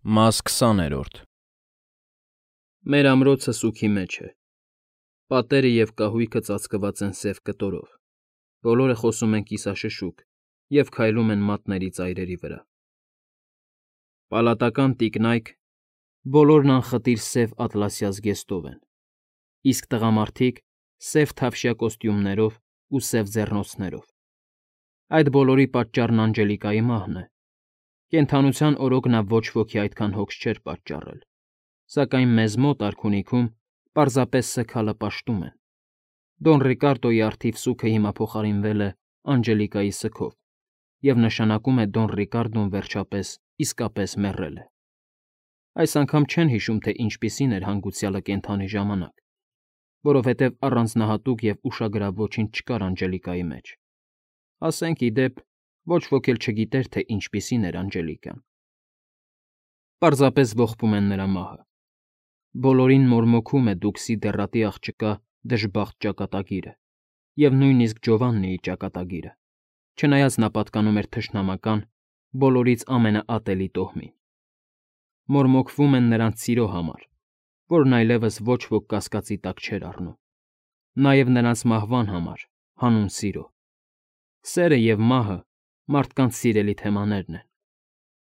Մաս 20-րդ Մեր ամրոցը սուգի մեջ է։ Պատերը և կահույքը ծածկված են սև կտորով, բոլորը խոսում են կիսաշշուկ և քայլում են մատների ծայրերի վրա։ Պալատական տիկնայք բոլորն անխտիր սև ատլասյա զգեստով են, իսկ տղամարդիկ՝ սև թավշյա կոստյումներով ու սև ձեռնոցներով։ Այդ բոլորի պատճառն Անջելիկայի մահն է։ Կենդանության օրոք նա ոչ ոքի այդքան հոգս չէր պատճառել, սակայն մեզ մոտ արքունիքում պարզապես սգալը պաշտում են։ Դոն Ռիկարդոյի առթիվ սուգը հիմա փոխարինվել է Անջելիկայի սգով և նշանակում է Դոն Ռիկարդոն վերջապես իսկապես մեռել է։ Այս անգամ չեն հիշում, թե ինչպիսին էր հանգուցյալը կենդանի ժամանակ, որովհետև առանձնահատուկ և ուշագրավ ոչինչ չկար Անջելիկայի մեջ։ Ասենք, ի դեպ, ոչ ոք էլ չգիտեր, թե ինչպիսին էր Անջելիկան։ Պարզապես ողբում են նրա մահը։ Բոլորին մորմոքում է Դուքսի դեռատի աղջկա դժբախտ ճակատագիրը և նույնիսկ Ջովաննիի ճակատագիրը, չնայած նա պատկանում էր թշնամական, բոլորից ամենաատելի տոհմին։ Մորմոքվում են նրանց սիրո համար, որն այլևս ոչ ոք կասկածի տակ չէր առնում, նաև նրանց մահվան համար, հանուն սիրո։ Սերը և մահը մարդկանց սիրելի թեմաներն են,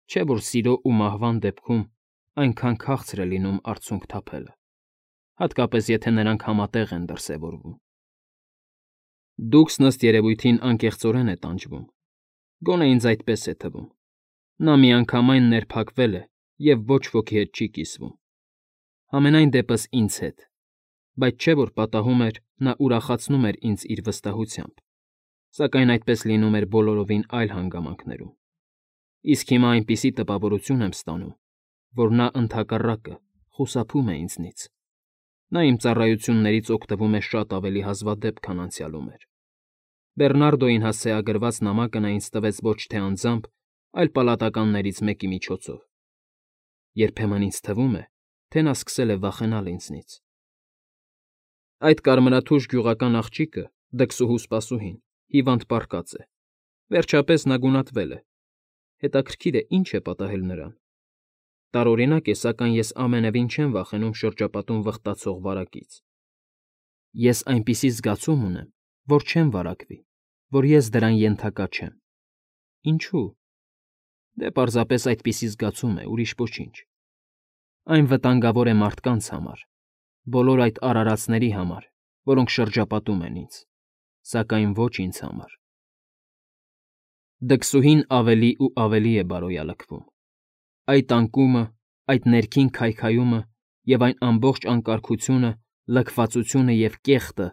չէ՞ որ սիրո ու մահվան դեպքում այնքան քաղցր է լինում արցունք թափելը, հատկապես եթե նրանք համատեղ են դրսևորվում։ Դուքսն ըստ երևույթին անկեղծորեն է տանջվում, գոնե ինձ այդպես է թվում։ Նա միանգամայն ներփակվել է և ոչ ոքի հետ չի կիսվում։ Համենայն դեպս ինձ հետ, բայց չէ՞ որ պատահում էր նա ուրախացնում էր ինձ իր վստահությամբ, սակայն այդպես լինում էր բոլորովին այլ հանգամանքներում։ Իսկ հիմա այնպիսի տպավորություն եմ ստանում, որ նա ընդհակառակը խուսափում է ինձնից։ Նա իմ ծառայություններից օգտվում է շատ ավելի հազվադեպ, քան անցյալում էր։ Բեռնարդոյին հասցեագրված նամակը նա ինձ տվեց ոչ թե անձամբ, այլ պալատականներից մեկի միջոցով։ Երբեմն ինձ թվում է, թե նա սկսել է վախենալ ինձնից։ Այդ կարմրաթուշ գյուղական աղջիկը, դքսուհու սպասուհին, հիվանդ պառկած է։ Վերջապես նա գունատվել է։ Հետաքրքիր է, ինչ է պատահել նրան։ Տարօրինակ է, սակայն ես ամենևին չեմ վախենում շրջապատում վխտացող վարակից։ Ես այնպիսի զգացում ունեմ, որ չեմ վարակվի, որ ես դրան ենթակա չեմ։ Ինչո՞ւ։ Դե պարզապես այդպիսի զգացում է, ուրիշ ոչինչ։ Այն վտանգավոր է մարդկանց համար, բոլոր այդ արարածների համար, որոնք շրջապատում են ինձ, սակայն ոչ ինձ համար։ Դքսուհին ավելի ու ավելի է բարոյալքվում։ Այդ անկումը, այդ ներքին քայքայումը և այն ամբողջ անկարգությունը, լքվածությունը և կեղտը,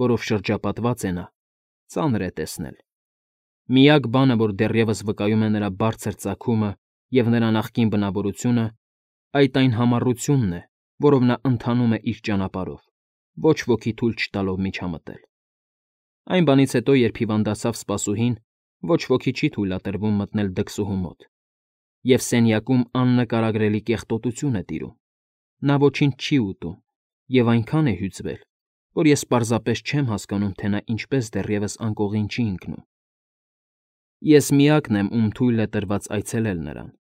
որով շրջապատված է նա, ծանր է տեսնել։ Միակ բանը, որ դեռևս վկայում է նրա բարձր ծագումը և նրա նախկին բնավորությունը, այն համառությունն է, որով նա ընթանում է իր ճանապարհով, ոչ ոքի թույլ չտալով միջամտել։ Այն բանից հետո, երբ հիվանդացավ սպասուհին, ոչ ոքի չի թույլատրվում մտնել դքսուհու մոտ, և սենյակում աննկարագրելի կեղտոտություն է տիրում։ Նա ոչինչ չի ուտում և այնքան է հյուծվել, որ ես պարզապես չեմ հասկանում, թե նա ինչպես դեռևս անկողին չի ընկնում։ Ես միակն եմ, ում թույլ է տրված այցելել նրան։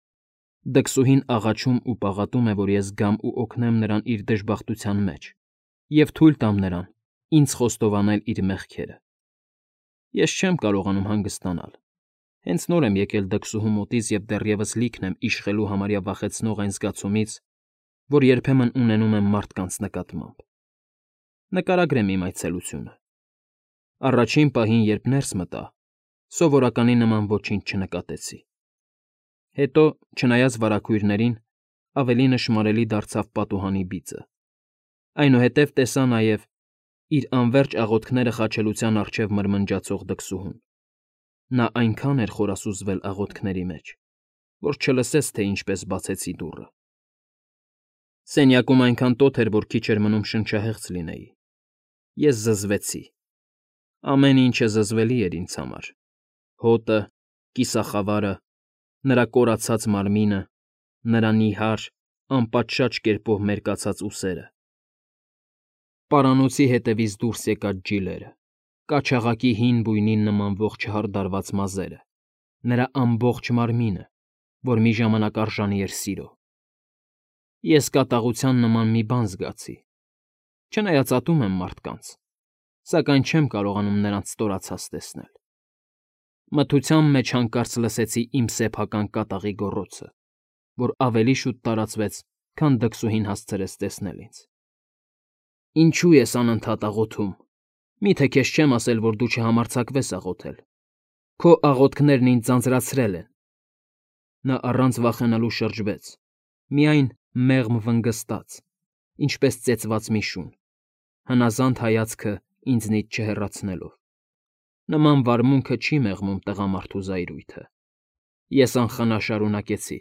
Դքսուհին աղաչում ու պաղատում է, որ ես գամ ու օգնեմ նրան իր դժբախտության մեջ և թույլ տամ նրան ինձ խոստովանել իր մեղքերը։ Ես չեմ կարողանում հանգստանալ։ Հենց նոր եմ եկել դքսուհու մոտից և դեռևս լիքն եմ իշխելու համարյա վախեցնող այն զգացումից, որ երբեմն ունենում եմ մարդկանց նկատմամբ։ Նկարագրեմ իմ այցելությունը։ Առաջին պահին, երբ ներս մտա, սովորականի նման ոչինչ չնկատեցի։ Հետո, չնայած վարագույրներին, ավելի նշմարելի դարձավ պատուհանի բիծը։ Այնուհետև տեսա նաև իր անվերջ աղոթքները խաչելության առջև մրմնջացող դքսուհուն։ Նա այնքան էր խորասուզվել աղոթքների մեջ, որ չլսեց, թե ինչպես բացեցի դուռը։ Սենյակում այնքան տոթ էր, որ քիչ էր մնում շնչահեղձ լինեի։ Ես զզվեցի։ Ամեն ինչը զզվելի էր ինձ համար՝ հոտը, կիսախավարը, նրա կորացած մարմինը, նրա նիհար, անպատշաճ կերպով մերկացած ուսերը, պարանոցի ետևից դուրս եկած ջիլերը, կաչաղակի հին բույնին նմանվող չհարդարված մազերը, նրա ամբողջ մարմինը, որ մի ժամանակ արժանի էր սիրո։ Ես կատաղության նման մի բան զգացի։ Չնայած ատում եմ մարդկանց, սակայն չեմ կարողանում նրանց ստորացած տեսնել։ Մթության մեջ հանկարծ լսեցի իմ սեփական կատաղի գոռոցը, որ ավելի շուտ տարածվեց, քան դքսուհին հասցրեց տեսնել ինձ։ Ինչու ես անընդհատ աղոթում։ Միթե քեզ չեմ ասել, որ դու չհամարձակվես աղոթել։ Քո աղոթքներն ինձ ձանձրացրել են։ Նա առանց վախենալու շրջվեց, միայն մեղմ վնգստաց, ինչպես ծեծված մի շուն, հնազանդ հայացքը ինձնից չհեռացնելով։ Նման վարմունքը չի մեղմում տղամարդու զայրույթը։ Ես անխնա շարունակեցի.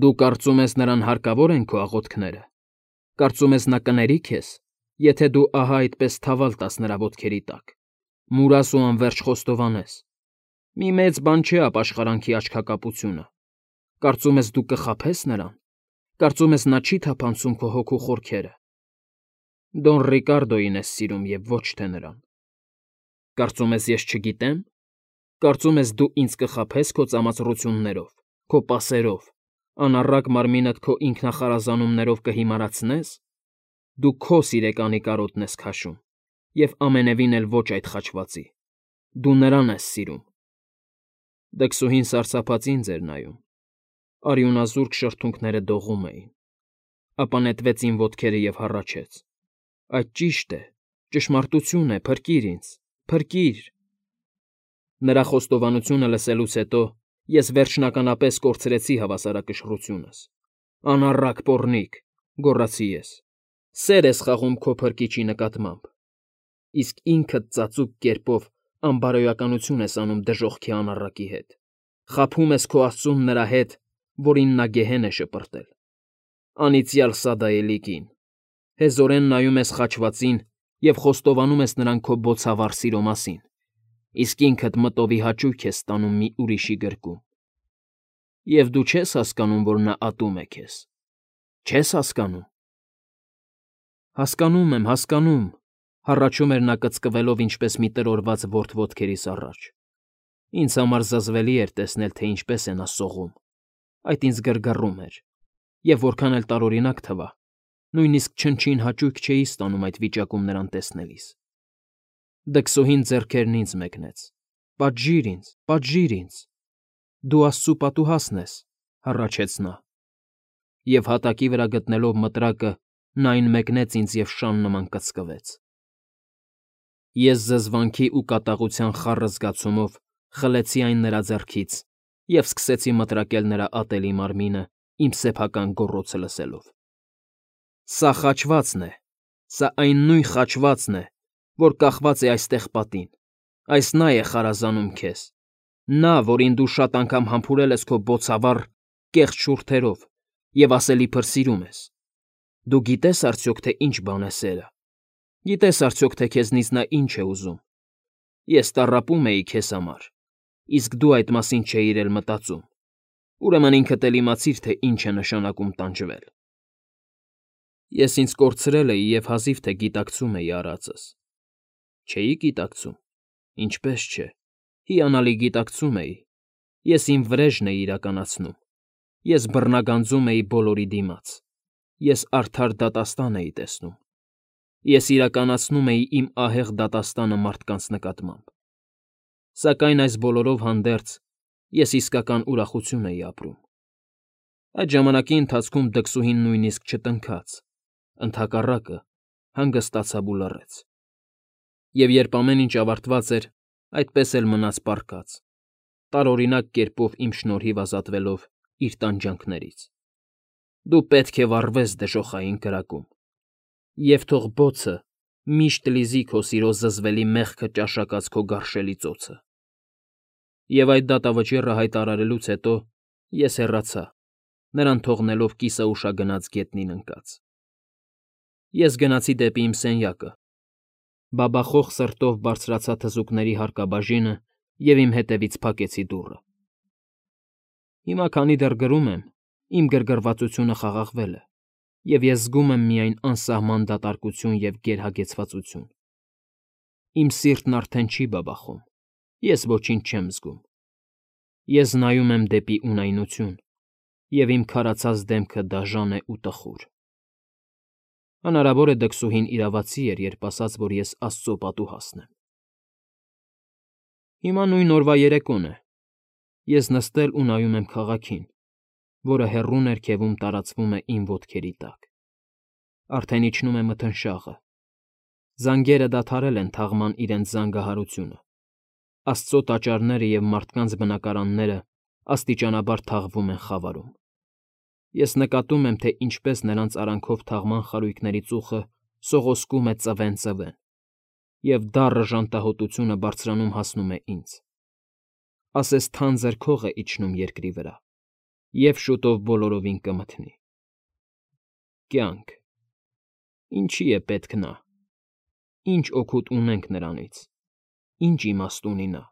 Դու կարծում ես նրան հարկավոր են քո աղոթքները։ Կարծում ես նա կների քեզ, եթե դու ահա այդպես թավալ տաս նրա ոտքերի տակ, մուրաս ու անverջ խոստովանես։ Մի մեծ բան չէ ապաշխարանքի աչքակապությունը։ Կարծում ես դու կխաբես նրան։ Կարծում ես նա չի թափանցում քո հոգու խորքերը։ Դոն Ռիկարդոյին ես սիրում և ոչ թե նրան։ Կարծում ես ես չգիտեմ։ Կարծում ես դու ինձ կխաբես քո ծամածռություններով, քո պասերով, անառակ մարմինդ քո ինքնախարազանումներով կհիմարացնես։ Դու քո սիրեկանի կարոտն ես քաշում, և ամենևին էլ ոչ այդ խաչվածի։ Դու նրան ես սիրում։ Դքսուհին սարսափած ինձ էր նայում։ Արյունազուրկ շրթունքները դողում էին։ Ապա նետվեց իմ ոտքերը և հառաչեց. Այդ ճիշտ է, ճշմարտություն է, փրկիր ինձ, փրկիր։ Նրա խոստովանությունը լսելուց հետո ես վերջնականապես կորցրեցի հավասարակշռությունս։ Անառակ պոռնիկ, գոռացի ես, սեր ես խաղում քո փրկիչի նկատմամբ, իսկ ինքդ ծածուկ կերպով անբարոյականություն ես անում դժոխքի անառակի հետ, խաբում ես քո Աստծուն նրա հետ, որին նա գեհեն է շպրտել։ Անիծյալ սադայելի կին, հեզորեն նայում ես խաչվածին և խոստովանում ես նրան քո բոցավառ սիրո մասին, իսկ ինքդ մտովի հաճույք ես ստանում մի ուրիշի գրկում։ Եվ դու չես հասկանում, որ նա ատում է քեզ։ Չես հասկանում։ Հասկանում եմ, հառաչում էր նա կծկվելով ինչպես մի տրորված որդ ոտքերիս առաջ։ Ինձ համար զզվելի էր տեսնել, թե ինչպես է նա սողում։ Այդ ինձ գրգռում էր, և որքան էլ տարօրինակ թվա, նույնիսկ չնչին հաճույք չէի ստանում այդ վիճակում նրան տեսնելիս։ Դքսուհին ձեռքերն ինձ մեկնեց. Պատժիր ինձ։ Դու Աստծու պատուհասն ես, հառաչեց նա։ Եվ հատակի վրա գտնելով մտրակը, նա այն մեկնեց ինձ և շան նման կծկվեց։ Ես զզվանքի ու կատաղության խառը զգացումով խլեցի այն նրա ձեռքից և սկսեցի մտրակել նրա ատելի մարմինը իմ սեփական գոռոցը լսելով։ Սա խաչվածն է, սա այն նույն խաչվածն է, որ կախված է այստեղ պատին, այս նա է խարազանում քեզ, նա, որին դու շատ անգամ համբուրել ես քո բոցավառ, կեղծ շուրթերով և ասելիքդ սիրում ես։ Դու գիտե՞ս արդյոք, թե ինչ բան է սերը։ Գիտե՞ս արդյոք, թե քեզնից նա ինչ է ուզում։ Ես տառապում էի քեզ համար, իսկ դու այդ մասին չէիր էլ մտածում։ Ուրեմն ինքդ էլ իմացիր, թե ինչ է նշանակում տանջվել։ Ես ինձ կորցրել էի և հազիվ թե գիտակցում էի արածս։ Չէի՞ գիտակցում։ Ինչպես չէ։ Հիանալի գիտակցում էի։ Ես իմ վրեժն էի իրականացնում։ Ես բռնագանձում էի բոլորի դիմաց։ Ես արդար դատաստան էի տեսնում։ Ես իրականացնում էի իմ ահեղ դատաստանը մարդկանց նկատմամբ։ Սակայն այս բոլորով հանդերձ ես իսկական ուրախություն էի ապրում։ Այդ ժամանակի ընթացքում դքսուհին նույնիսկ չտնքաց, ընդհակառակը հանգստացավ ու լռեց։ Եվ երբ ամեն ինչ ավարտված էր, այդպես էլ մնաց պառկած, տարօրինակ կերպով իմ շնորհիվ ազատվելով իր տանջանքներից։ Դու պետք է վառվես դժոխային կրակում, և թող բոցը միշտ լիզի քո սիրո զզվելի մեղքը ճաշակած քո գարշելի ծոցը։ Եվ այդ դատավճիռը հայտարարելուց հետո ես հեռացա, նրան թողնելով կիսաուշագնաց գետնին ընկած։ Ես գնացի դեպի իմ սենյակը, բաբախող սրտով բարձրացա թզուկների հարկաբաժինը և իմ հետևից փակեցի դուռը։ Հիմա, քանի դեռ գրում եմ, իմ գրգռվածությունը խաղաղվել է, և ես զգում եմ միայն անսահման դատարկություն և գերհագեցվածություն։ Իմ սիրտն արդեն չի բաբախում, ես ոչինչ չեմ զգում։ Ես նայում եմ դեպի ունայնություն և իմ քարացած դեմքը դաժան է ու տխուր։ Հնարավոր է դքսուհին իրավացի էր, երբ ասաց, որ ես Աստծո պատուհասն եմ։ Հիմա նույն օրվա երեկոն է։ Ես նստել ու նայում եմ քաղաքին, որը հեռու ներքևում տարածվում է իմ ոտքերի տակ։ Արդեն իջնում է մթնշաղը։ Զանգերը դադարել են թաղման իրենց զանգահարությունը։ Աստծո տաճարները և մարդկանց բնակարանները աստիճանաբար թաղվում են խավարում։ Ես նկատում եմ, թե ինչպես նրանց արանքով թաղման խարույկների ծուխը սողոսկում է ծվեն, և դառը ժանտահոտությունը բարձրանում հասնում է ինձ։ Ասես թանձր քող է իջնում երկրի վրա, և շուտով բոլորովին կմթնի։ Կյանք… Ինչի է պետք նա։ Ինչ օգուտ ունենք նրանից, ինչ իմաստ ունի նա,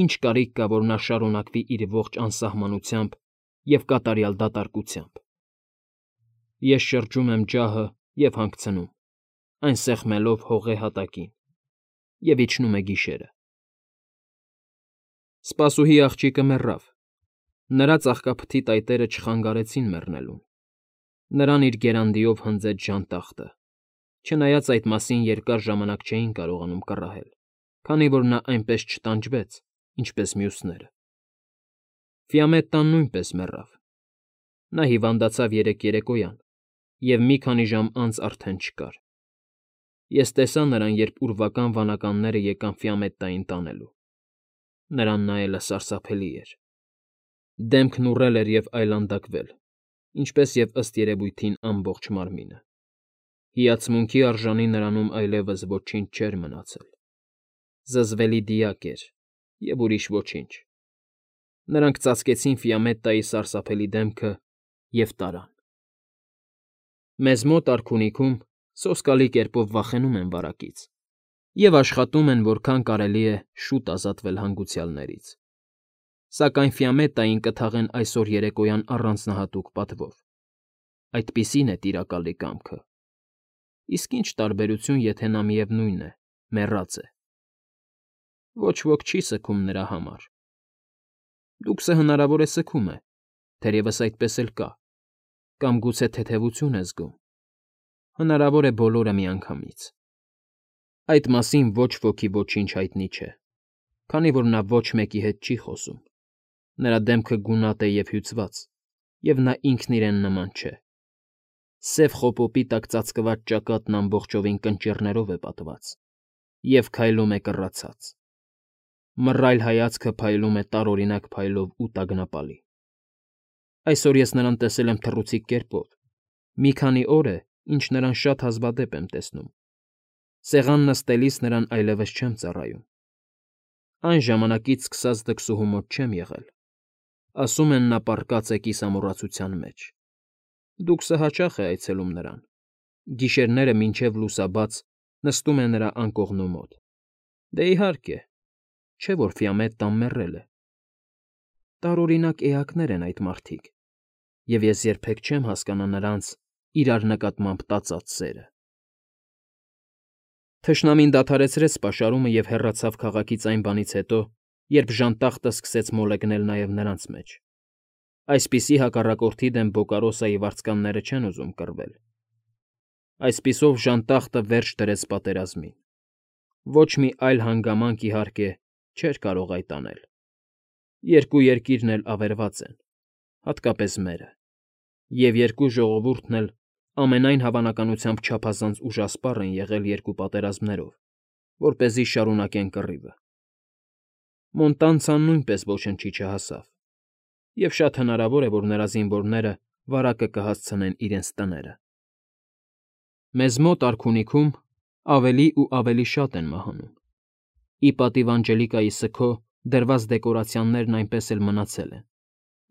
ինչ կարիք կա, որ նա շարունակվի իր ողջ անսահմանությամբ և կատարյալ դատարկությամբ։ Ես շրջում եմ ջահը և հանգցնում, այն սեղմելով հողե հատակին, և իջնում է գիշերը։ Սպասուհի աղջիկը մեռավ։ Նրա ծաղկափթի տայտերը չխանգարեցին մեռնելուն։ Նրան իր գերանդիով հնձեց ժանտախտը, չնայած այդ մասին երկար ժամանակ չէին կարողանում կռահել, քանի որ նա այնպես չտանջվեց, ինչպես մյուսները։ Ֆիամետտան նույնպես մեռավ։ Նա հիվանդացավ երեկոյան, և մի քանի ժամ անց արդեն չկար։ Ես տեսա նրան, երբ ուրվական վանականները եկան Ֆիամետտային տանելու։ Նրան նայելը սարսափելի էր։ Դեմքն ուռել էր և այլանդակվել, ինչպես և ըստ երևույթին ամբողջ մարմինը։ Հիացմունքի արժանի նրանում այլևս ոչինչ չէր մնացել։ Զզվելի դիակ էր, և ուրիշ ոչինչ։ Նրանք ծածկեցին Ֆիամետտայի սարսափելի դեմքը և տարան։ Մեզ մոտ արքունիքում սոսկալի կերպով վախենում են վարակից և աշխատում են որքան կարելի է շուտ ազատվել հանգուցյալներից։ Սակայն Ֆիամետտային կթաղեն այսօր երեկոյան առանձնահատուկ պատվով։ Այդպիսին է տիրակալի կամքը։ Իսկ ինչ տարբերություն, եթե նա միևնույն է, մեռած է։ Ոչ ոք չի սգում նրա համար։ Լուքսը հնարավոր է սգում է, թերևս այդպես էլ կա, կամ գուցե թեթևություն է զգում։ Հնարավոր է բոլորը միանգամից։ Այդ մասին ոչ ոքի ոչինչ հայտնի չէ, քանի որ նա ոչ մեկի հետ չի խոսում։ Նրա դեմքը գունատ է և հյուծված, և նա ինքն իրեն նման չէ։ Սև խոպոպի տակ ծածկված ճակատն ամբողջովին կնճիռներով է պատված և քայլում է կռացած։ Մռայլ հայացքը փայլում է տարօրինակ փայլով ու տագնապալի։ Այսօր ես նրան տեսել եմ թռուցիկ կերպով։ Մի քանի օր է, ինչ նրան շատ հազվադեպ եմ տեսնում։ Սեղան նստելիս նրան այլևս չեմ ծառայում։ Այն ժամանակից սկսած դքսուհու մոտ չեմ եղել։ Ասում են, նա պառկած է կիսամոռացության մեջ։ Դուքսը հաճախ է այցելում նրան։ Գիշերները մինչև լուսաբաց նստում է նրա անկողնու մոտ։ Դե, իհարկե, չէ՞ որ Ֆիամետտան մեռել է։ Տարօրինակ էակներ են այդ մարդիկ, և ես երբեք չեմ հասկանա նրանց իրար նկատմամբ տածած սերը։ Թշնամին դադարեցրեց պաշարումը և հեռացավ քաղաքից այն բանից հետո, երբ ժանտախտը սկսեց մոլեգնել նաև նրանց մեջ։ Այսպիսի հակառակորդի դեմ Բոկարոսայի վարձկանները չեն ուզում կռվել։ Այսպիսով ժանտախտը վերջ դրեց պատերազմին։ Ոչ մի այլ հանգամանք, իհարկե, չէր կարող այդ անել։ Երկու երկիրն էլ ավերված են, հատկապես մերը, և երկու ժողովուրդն էլ ամենայն հավանականությամբ չափազանց ուժասպառ են եղել երկու պատերազմներով, որպեսզի շարունակեն կռիվը։ Մոնտանցան նույնպես ոչնչի չհասավ, և շատ հնարավոր է, որ նրա զինվորները վարակը կհասցնեն իրենց տները։ Մեզ մոտ արքունիքում ավելի ու ավելի շատ են մահանում։ Ի պատիվ Անջելիկայի սգո դրված դեկորացիաներն այնպես էլ մնացել են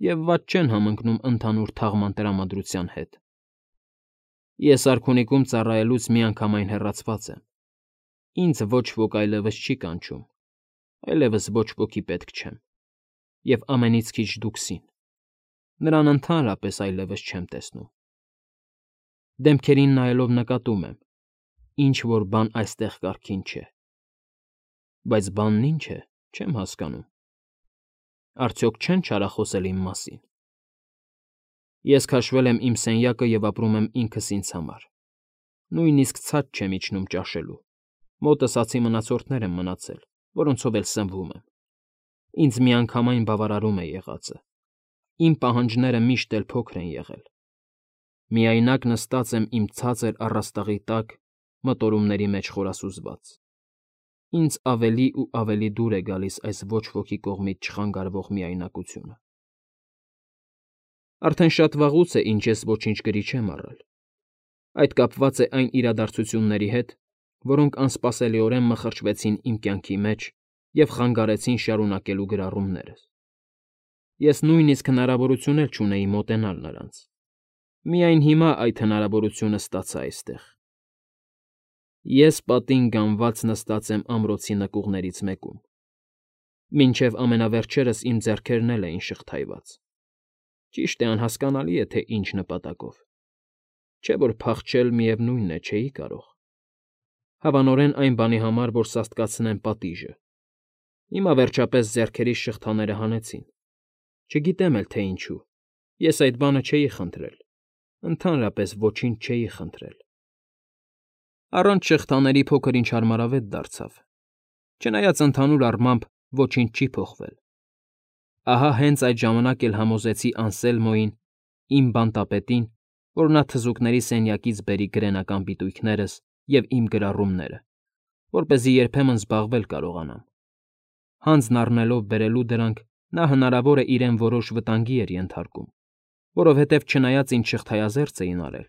և վատ չեն համընկնում ընդհանուր թաղման տրամադրության հետ։ Ես արքունիքում ծառայելուց միանգամայն հեռացված եմ։ Ինձ ոչ ոք այլևս չի կանչում, այլևս ոչ ոքի պետք չեմ, և ամենից քիչ դուքսին։ Նրան ընդհանրապես այլևս չեմ տեսնում։ Դեմքերին նայելով նկատում եմ. ինչ֊որ բան այստեղ կարգին չէ։ Բայց բանն ինչ է, չեմ հասկանում։ Արդյոք չեն չարախոսել իմ մասին։ Ես քաշվել եմ իմ սենյակը և ապրում եմ ինքս ինձ համար։ Նույնիսկ ցած չեմ իջնում ճաշելու։ Մոտս ացի մնացորդներ են մնացել, որոնցով էլ սնվում եմ։ Ինձ միանգամայն բավարարում է եղածը։ Իմ պահանջները միշտ էլ փոքր են եղել։ Միայնակ նստած եմ իմ ցածր առաստաղի տակ, մտորումների մեջ խորասուզված։ Ինձ ավելի ու ավելի դուր է գալիս այս ոչ ոքի կողմից չխանգարվող միայնակությունը։ Արդեն շատ վաղուց է, ինչ ես ոչինչ գրի չեմ առել։ Այդ կապված է այն իրադարձությունների հետ, որոնք անսպասելիորեն մխրճվեցին իմ կյանքի մեջ և խանգարեցին շարունակելու գրառումներս։ Ես նույնիսկ հնարավորություն էլ չունեի մոտենալ նրանց։ Միայն հիմա այդ հնարավորությունը ստացա այստեղ։ Ես պատին գանված նստած եմ ամրոցի նկուղներից մեկում։ Մինչև ամենավերջերս իմ ձեռքերն էլ էին շղթայված։ Ճիշտ է, անհասկանալի է, թե ինչ նպատակով։ Չէ՞ որ փախչել, միևնույն է, չէի կարող։ Հավանորեն այն բանի համար, որ սաստկացնեմ պատիժը։ Հիմա վերջապես ձեռքերիս շղթաները հանեցին։ Չգիտեմ էլ, թե ինչու։ Ես այդ բանը չէի խնդրել։ Ընդհանրապես ոչինչ չէի խնդրել։ Առանց շղթաների փոքր-ինչ հարմարավետ դարձավ։ Չնայած ընդհանուր առմամբ ոչինչ չի փոխվել։ Ահա հենց այդ ժամանակ էլ համոզեցի Անսելմոյին, իմ բանտապետին, որ նա թզուկների սենյակից բերի գրենական պիտույքներս և իմ գրառումները, որպեսզի երբեմն զբաղվել կարողանամ։ Հանձն առնելով բերելու դրանք, նա հնարավոր է իրեն որոշ վտանգի էր ենթարկում, որովհետև չնայած ինձ շղթայազերծ էին արել,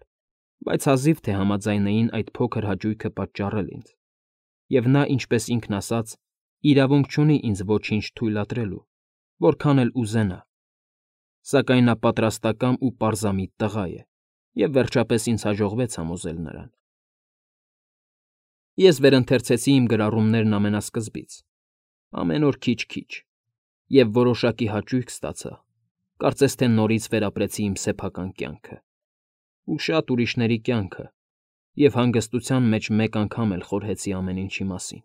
բայց հազիվ թե համաձայնեին այդ փոքր հաճույքը պատճառել ինձ, և նա, ինչպես ինքն ասաց, իրավունք չունի ինձ ոչինչ թույլատրելու, որքան էլ ուզենա, սակայն նա պատրաստակամ ու պարզամիտ տղա է, և վերջապես ինձ հաջողվեց համոզել նրան։ Ես վերընթերցեցի իմ գրառումներն ամենասկզբից, ամեն օր քիչ֊քիչ, և որոշակի հաճույք ստացա, կարծես թե նորից վերապրեցի իմ սեփական կյանքը, ու շատ ուրիշների կյանքը, և հանգստության մեջ մեկ անգամ էլ խորհեցի ամեն ինչի մասին։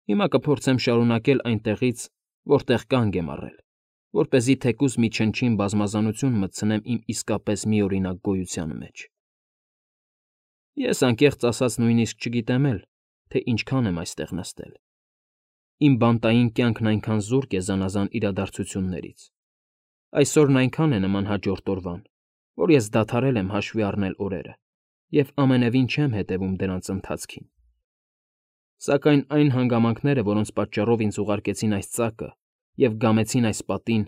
Հիմա կփորձեմ շարունակել այնտեղից, որտեղ կանգ եմ առել, որպեսզի թեկուզ մի չնչին բազմազանություն մտցնեմ իմ իսկապես միօրինակ գոյության մեջ։ Ես անկեղծ ասած նույնիսկ չգիտեմ էլ, թե ինչքան եմ այստեղ նստել։ Իմ բանտային կյանքն այնքան զուրկ է զանազան իրադարձություններից։ Այսօրն այնքան է նման հաջորդ օրվան, որ ես դադարել եմ հաշվի առնել օրերը և ամենևին չեմ հետևում դրանց ընթացքին։ Սակայն այն հանգամանքները, որոնց պատճառով ինձ ուղարկեցին այս ծակը և գամեցին այս պատին,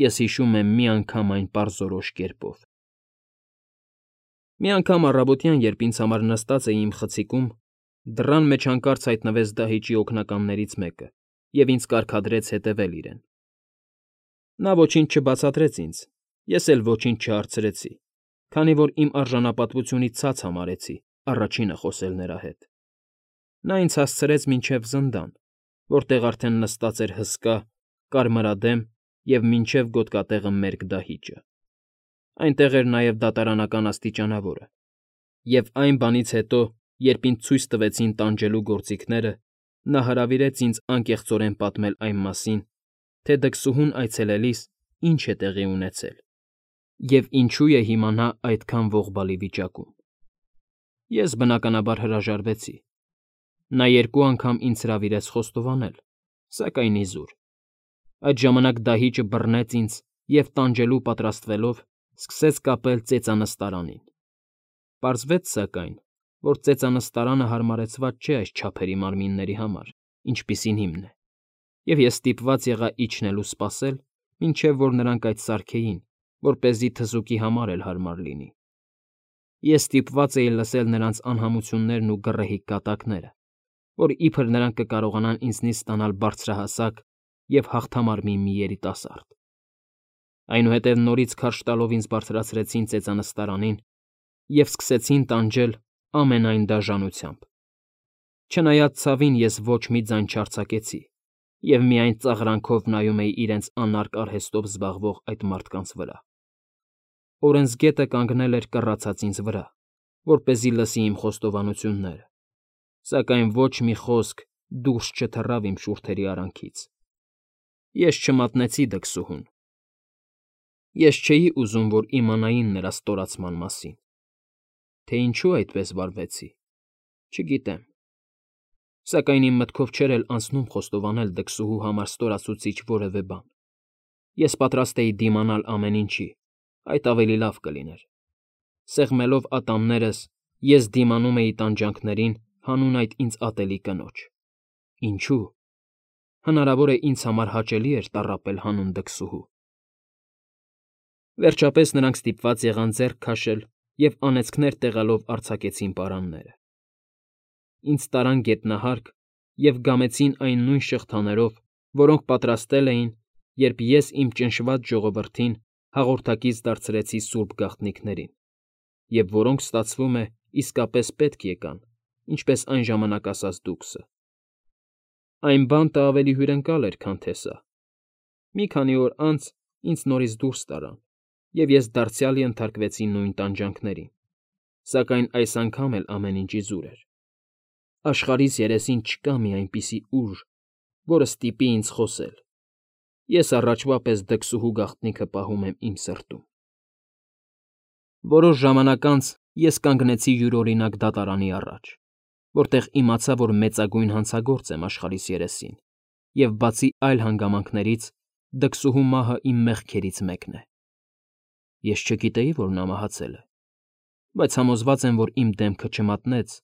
ես հիշում եմ միանգամայն պարզորոշ կերպով։ Մի անգամ առավոտյան, երբ ինձ համար նստած էի իմ խցիկում, դռան մեջ հանկարծ հայտնվեց դահիճի օգնականներից մեկը և ինձ կարգադրեց հետևել իրեն։ Նա ոչինչ չբացատրեց ինձ, ես էլ ոչինչ չհարցրեցի, քանի որ իմ արժանապատվությունից ցած համարեցի առաջինը խոսել նրա հետ։ Նա ինձ հասցրեց մինչև զնդան, որտեղ արդեն նստած էր հսկա, կարմրադեմ և մինչև գոտկատեղը մերկ դահիճը։ Այնտեղ էր նաև դատարանական աստիճանավորը, և այն բանից հետո, երբ ինձ ցույց տվեցին տանջելու գործիքները, նա հրավիրեց ինձ անկեղծորեն պատմել այն մասին, թե դքսուհուն այցելելիս ինչ է տեղի ունեցել և ինչու է հիմա նա այդքան ողբալի վիճակում։ Ես, բնականաբար, հրաժարվեցի։ Նա երկու անգամ ինձ հրավիրեց խոստովանել, սակայն իզուր։ Այդ ժամանակ դահիճը բռնեց ինձ և, տանջելու պատրաստվելով, սկսեց կապել ծեծանստարանին։ Պարզվեց, սակայն, որ ծեծանստարանը հարմարեցված չէ այս չափերի մարմինների համար, ինչպիսին իմն է, և ես ստիպված եղա իջնել ու սպասել, մինչև որ նրանք այդ սարքեին, որպեսզի թզուկի համար էլ հարմար լինի։ Ես ստիպված էի լսել նրանց անհամություններն ու գռեհիկ կատակները, որ իբր նրանք կկարողանան ինձնից ստանալ բարձրահասակ և հաղթամարմին մի երիտասարդ։ Այնուհետև նորից քարշ տալով ինձ բարձրացրեցին ծեծանստարանին և սկսեցին տանջել ամենայն դաժանությամբ։ Չնայած ցավին ես ոչ մի ձայն չարձակեցի և միայն ծաղրանքով նայում էի իրենց անարգ արհեստով զբաղվող այդ մարդկանց վրա։ Օրենսգետը կանգնել էր կռացած ինձ վրա, որպեսզի լսի իմ խոստովանությունները, սակայն ոչ մի խոսք դուրս չթռավ իմ շուրթերի արանքից։ Ես չմատնեցի դքսուհուն։ Ես չէի ուզում, որ իմանային նրա ստորացման մասին, թե ինչու այդպես վարվեցի, չգիտեմ, սակայն իմ մտքով չէր էլ անցնում խոստովանել դքսուհու համար ստորացուցիչ որևէ բան։ Ես պատրաստ էի դիմանալ ամեն ինչի, այդ ավելի լավ կլիներ։ Սեղմելով ատամներս, ես դիմանում էի տանջանքներին հանուն այդ ինձ ատելի կնոջ։ Ինչու՞։ Հնարավոր է ինձ համար հաճելի էր տառապել հանուն դքսուհու։ Վերջապես նրանք ստիպված եղան ձեռք քաշել և անեծքներ տեղալով արձակեցին պարանները։ Ինձ տարան գետնահարկ և գամեցին այն նույն շղթաներով, որոնք պատրաստել էին, երբ ես իմ ճնշված ժողովրդին հաղորդակից դարձրեցի սուրբ գաղտնիքներին, և որոնք, ստացվում է, իսկապես պետք եկան, ինչպես այն ժամանակ ասաց դուքսը։ Այն բանտը ավելի հյուրընկալ էր, քան թե սա։ Մի քանի օր անց ինձ նորից դուրս տարան, և ես դարձյալ ենթարկվեցի նույն տանջանքներին, սակայն այս անգամ էլ ամեն ինչ իզուր էր։ Աշխարհիս երեսին չկա մի այնպիսի ուժ, որը ստիպի ինձ խոսել։ Ես առաջվա պես դքսուհու գաղտնիքը պահում եմ իմ սրտում։ Որոշ ժամանակ անց ես կանգնեցի յուրօրինակ դատարանի առաջ, որտեղ իմացա, որ մեծագույն հանցագործ եմ աշխարհիս երեսին, և բացի այլ հանգամանքներից, դքսուհու մահը իմ մեղքերից մեկն է։ Ես չգիտեի, որ նա մահացել է, բայց համոզված եմ, որ իմ դեմքը չմատնեց,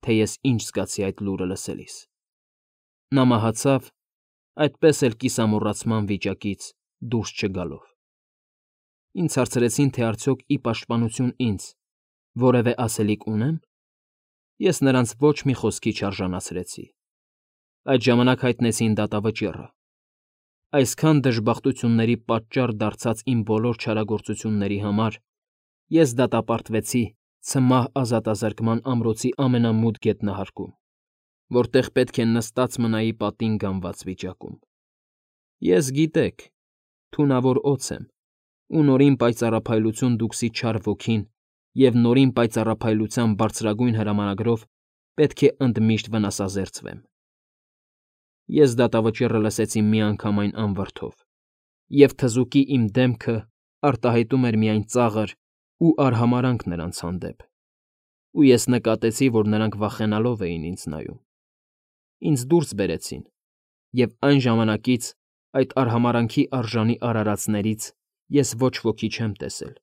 թե ես ինչ զգացի այդ լուրը լսելիս։ Նա մահացավ, այդպես էլ կիսամոռացման վիճակից դուրս չգալով։ Ինձ հարցրեցին, թե արդյոք ի պաշտպանություն ինձ որևէ ասելիք ունեմ։ Ես նրանց ոչ մի խոսքի չարժանացրեցի։ Այդ ժամանակ հայտնեցին դատավճիռը։ Այսքան դժբախտությունների պատճառ դարձած իմ բոլոր չարագործությունների համար ես դատապարտվեցի ցմահ ազատազրկման ամրոցի ամենամութ գետնահարկում, որտեղ պետք է նստած մնայի պատին գամված վիճակում։ Ես, գիտեք, թունավոր օձ եմ, ու նորին պայծառափայլություն դուքսի չար ոգին և նորին պայծառափայլության բարձրագույն հրամանագրով պետք է ընդմիշտ վնասազերծվեմ։ Ես դատավճիռը լսեցի միանգամայն անվրդով, և թզուկի իմ դեմքը արտահայտում էր միայն ծաղր ու արհամարհանք նրանց հանդեպ, ու ես նկատեցի, որ նրանք վախենալով էին ինձ նայում։ Ինձ դուրս բերեցին, և այն ժամանակից այդ արհամարհանքի արժանի արարածներից ես ոչ ոքի չեմ տեսել,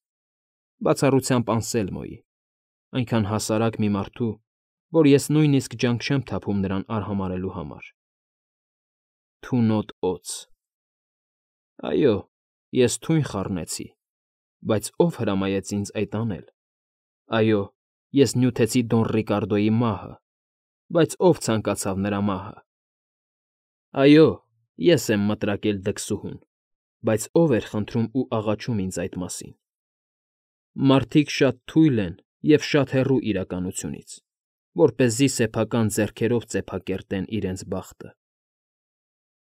բացառությամբ Անսելմոյի, այնքան հասարակ մի մարդու, որ ես նույնիսկ ջանք չեմ թափում նրան արհամարհելու համար։ Թունոտ օձ։ Այո, ես թույն խառնեցի, բայց ո՞վ հրամայեց ինձ այդ անել։ Այո, ես նյութեցի Դոն Ռիկարդոյի մահը, բայց ո՞վ ցանկացավ նրա մահը։ Այո, ես եմ մտրակել դքսուհուն, բայց ո՞վ էր խնդրում ու աղաչում ինձ այդ մասին։ Մարդիկ շատ թույլ են և շատ հեռու իրականությունից, որպեսզի սեփական ձեռքերով ծեփակերտեն իրենց բախտը։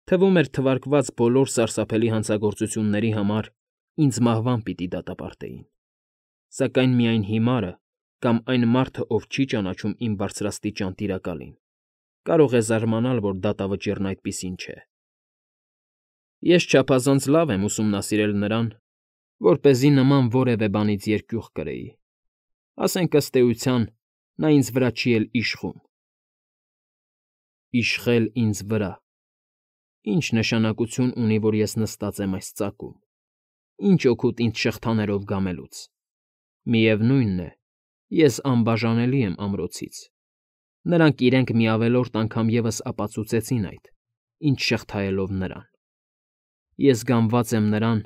Թվում էր թվարկված բոլոր սարսափելի հանցագործությունների համար ինձ մահվան պիտի դատապարտեին, սակայն միայն հիմարը կամ այն մարդը, ով չի ճանաչում իմ բարձրաստիճան Տիրակալին, կարող է զարմանալ, որ դատավճիռն այդպիսին չէ։ Ես չափազանց լավ եմ ուսումնասիրել նրան, որպեսզի նման որևէ բանից երկյուղ կրեի։ Ասենք ըստ էության, նա ինձ վրա չի էլ իշխում։ Իշխել ինձ վրա։ Ինչ նշանակություն ունի, որ ես նստած եմ այս ծակում։ Ինչ օգուտ ինձ շղթաներով գամելուց։ Միևնույնն է, ես անբաժանելի եմ ամրոցից։ Նրանք իրենք մի ավելորդ անգամ ևս ապացուցեցին այդ, ինչ շղթայելով նրան։ Ես գամված եմ նրան,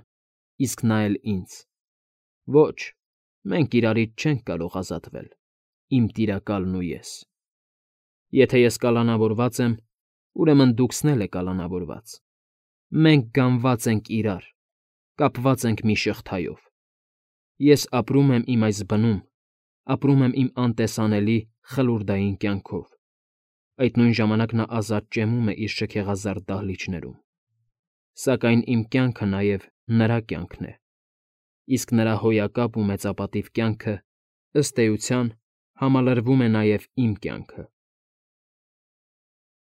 իսկ նա էլ ինձ։ Ոչ, մենք իրարից չենք կարող ազատվել, իմ Տիրակալն ու ես։ Եթե ես կալանավորված եմ, ուրեմն դուքսն էլ եք կալանավորված։ Մենք գամված ենք իրար, կապված ենք մի շղթայով։ Ես ապրում եմ իմ այս բնում, ապրում եմ իմ անտեսանելի, խլուրդային կյանքով։ Այդ նույն ժամանակ նա ազատ ճեմում է իր շքեղազարդ դահլիճներում։ Սակայն իմ կյանքը նաև նրա կյանքն է, իսկ նրա հոյակապ ու մեծապատիվ կյանքը, ըստ էության, համալրվում է նաև իմ կյանքը։